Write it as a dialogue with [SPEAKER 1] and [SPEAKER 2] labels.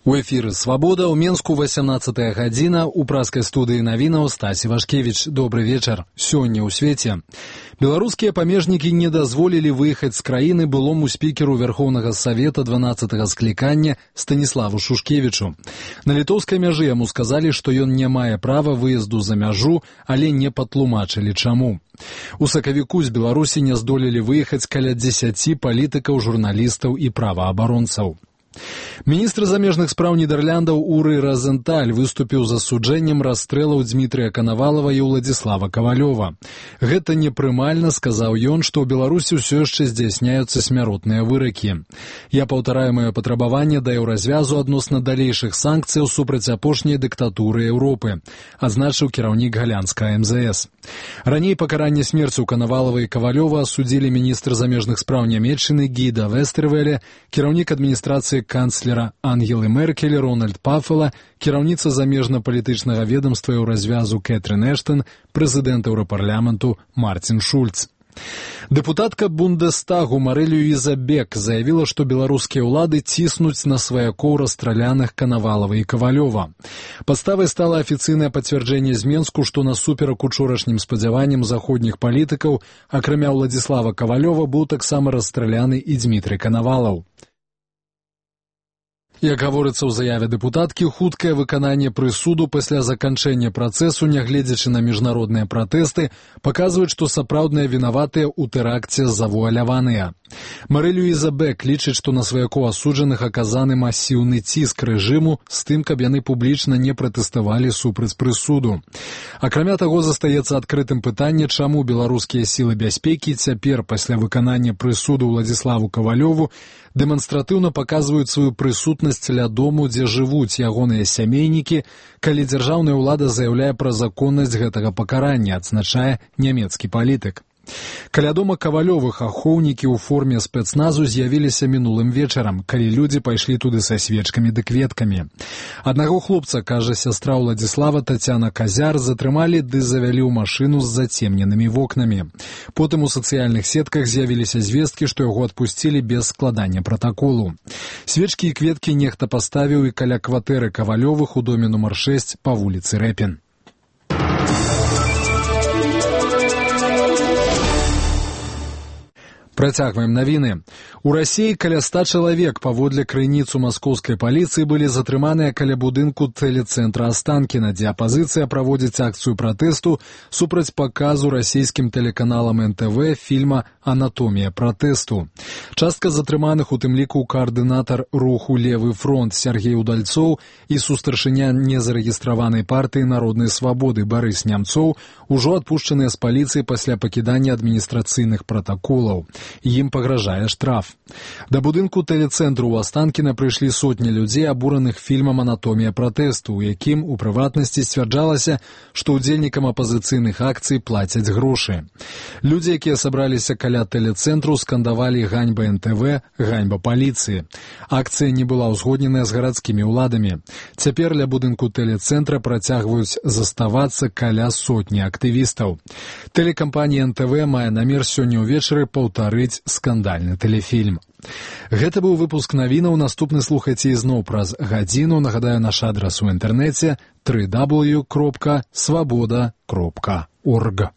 [SPEAKER 1] У эфіры «Свабода» ў Менску 18 гадзіна, у праскай студыі навінаў Стасі Вашкевіч. Добры вечар. Сёння ў свеце. Беларускія памежнікі не дазволілі выехаць з краіны былому спікеру Верхоўнага Савета 12-го склікання Станіславу Шушкевічу. На літоўскай мяжы яму сказалі, што ён не мае права выезду за мяжу, але не патлумачылі чаму. У сакавіку з Беларусі не здолелі выехаць каля 10 палітыкаў, журналістаў і праваабаронцаў. Міністр замежных спраў Нідэрляндаў Уры Розенталь выступіў з асуджэннем расстрэлаў Дмітрыя Канавалава і Уладзіслава Кавалёва. Гэта непрымальна, сказаў ён, што ў Беларусі ўсё яшчэ здзяйсняюцца смяротныя выракі. Я паўтараю маё патрабаванне да еўразвязу адносна далейшых санкцыяў супраць апошняй дыктатуры Еўропы, адзначыў кіраўнік галянскага МЗС. Раней пакаранне смерцю Канавалава і Кавалёва асудзілі міністр замежных спраў Нямецчыны Гіда Вестервеле, кіраўнік адміністрацыі канцлера Ангелы Меркель Рональд Пафела, кіраўніца замежна-палітычнага ведомства Еўразвязу Кэтрын Эштон, прэзідэнт Еўрапарламенту Марцін Шульц. Дэпутатка Бундестагу Марэ Люіза Бек заявіла, што беларускія ўлады ціснуць на сваякоў расстраляных Канавалава і Кавалёва. Падставай стала афіцыйнае пацвярджэнне з Менску, што насуперак учорашнім спадзяванням заходніх палітыкаў, акрамя Уладзіслава Кавалёва, быў таксама расстраляны і Дмітрый Канавалаў. Як гаворыцца ў заяве дэпутаткі, хуткае выкананне прысуду пасля заканчэння працэсу, нягледзячы на міжнародныя пратэсты, паказваюць, што сапраўдныя вінаватыя ў тэракце завуаляваныя. Марэ Люіза Бек лічыць, што на сваякоў асуджаных аказаны масіўны ціск рэжыму з тым, каб яны публічна не пратэставалі супраць прысуду. Акрамя таго, застаецца адкрытым пытанне, чаму беларускія сілы бяспекі цяпер, пасля выканання прысуду Уладзіславу Кавалёву, дэманстратыўна паказваюць сваю прысутнасць ля дому, дзе жывуць ягоныя сямейнікі, калі дзяржаўная ўлада заяўляе пра законнасць гэтага пакарання, адзначае нямецкі палітык. Каля дома Кавалёвых ахоўнікі ў форме спецназу з'явіліся мінулым вечарам, калі людзі пайшлі туды са свечкамі ды кветкамі. Аднаго хлопца, кажа сястра Уладзіслава Тацяна Казяр, затрымалі ды завялі ў машыну з зацемненымі вокнамі. Потым у сацыяльных сетках з'явіліся звесткі, што яго адпусцілі без складання пратаколу. Свечкі і кветкі нехта паставіў і каля кватэры Кавалёвых у доме нумар 6 па вуліцы Рэпін. Працягваем навіны. У Расіі каля 100 чалавек, паводле крыніцу маскоўскай паліцыі, былі затрыманыя каля будынку тэлецэнтра Астанкіна, дзе апазіцыя праводзіць акцыю пратэсту супраць паказу расійскім тэлеканалам НТВ фільма «Анатомія пратэсту». Частка затрыманых, у тым ліку каардынатар руху «Левы фронт» Сергей Удальцоў і сустаршыня незарэгістраванай партыі «Народнай свабоды» Барыс Нямцоў, ужо адпушчаныя з паліцыі пасля пакідання адміністрацыйных пратаколаў. Ім пагражае штраф. Да будынку тэлецэнтру ў Астанкіна прыйшлі сотні людзей, абураных фільмам «Анатомія пратэсту», у якім, у прыватнасці, сцвярджалася, што ўдзельнікам апазіцыйных акцый плацяць грошы. Людзі, якія сабраліся каля тэлецэнтру, скандавалі «Ганьба НТВ», «Ганьба паліцыі». Акцыя не была ўзгодненая з гарадскімі ўладамі. Цяпер ля будынку тэлецэнтра працягваюць заставацца каля сотні актывістаў. Тэлекампанія НТВ мае намер сёння ўвечары паўтарыць скандальны тэлефільм. Гэта быў выпуск навінаў, наступны слухайце ізноў праз гадзіну. Нагадаю, наш адрас у інтэрнэце www.swaboda.org.